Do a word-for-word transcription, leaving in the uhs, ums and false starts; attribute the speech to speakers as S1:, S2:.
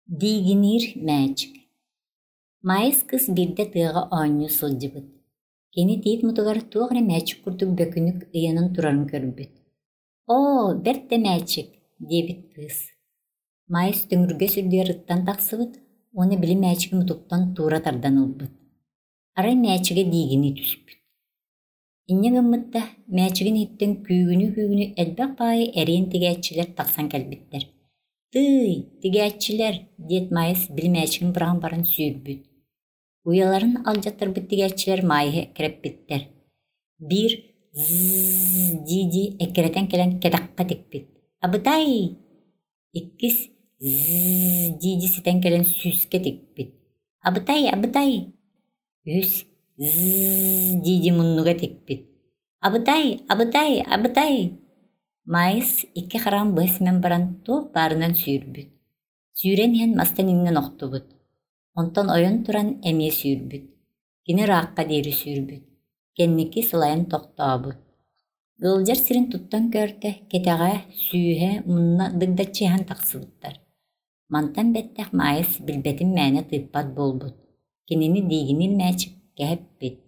S1: Диигиниир мээчик Маайыс кыыс биирдэ тыаҕа оонньуу сылдьыбыт. Кини тиит мутугар туох эрэ мээчик курдук бөкүнүк ыйанан турарын көрбүт. «Оо, бэрт да мээчик» диэбит кыыс. Маайыс төҥүргэс үрдүгэр ыттан тахсыбыт уонна били мээчиги мутуктан туура тардан ылбыт. Арай мээчигэ диигинии түспүт. Инньэ гыммыт да, мээчигин иһиттэн күүгүнүү-күүгүнүү элбэх баайы эриэн тигээччилэр тахсан кэлбиттэр. «Тыый, тигээччилэр» диэт Маайыс били мээчигин быраҕан баран сүүрбүт. Уйаларын алдьаттарбыт тигээччилэр Маайыһы эккирэппиттэр. Биир «зззз» дии-дии эккирэтэн кэлэн кэтэххэ тикпит. «Абытай!» Иккис «зззз» дии-дии ситэн кэлэн сүүскэ тикпит. «Абытай, абытай!» Үһүс «зззз» дии-дии муннуга тикпит. «Абытай, абытай, абытай!» Маайыс икки хараҕын быһа симэн баран туох баарынан сүүрбүт. Сүүрэн иһэн мастан иҥнэн охтубут. Онтон ойон туран эмиэ сүүрбүт. Кини ыраахха диэри сүүрбүт. Кэнники сылайан тохтообут. Ыалдьар сирин туттан көрдө, кэтэҕэ, сүүһэ, мунна дыгдаччы иһэн тахсыбыттар. Мантан бэттэх Маайыс билбэтин мээнэ тыыппат буолбут. Кинини диигиниир мээчик кэһэппит.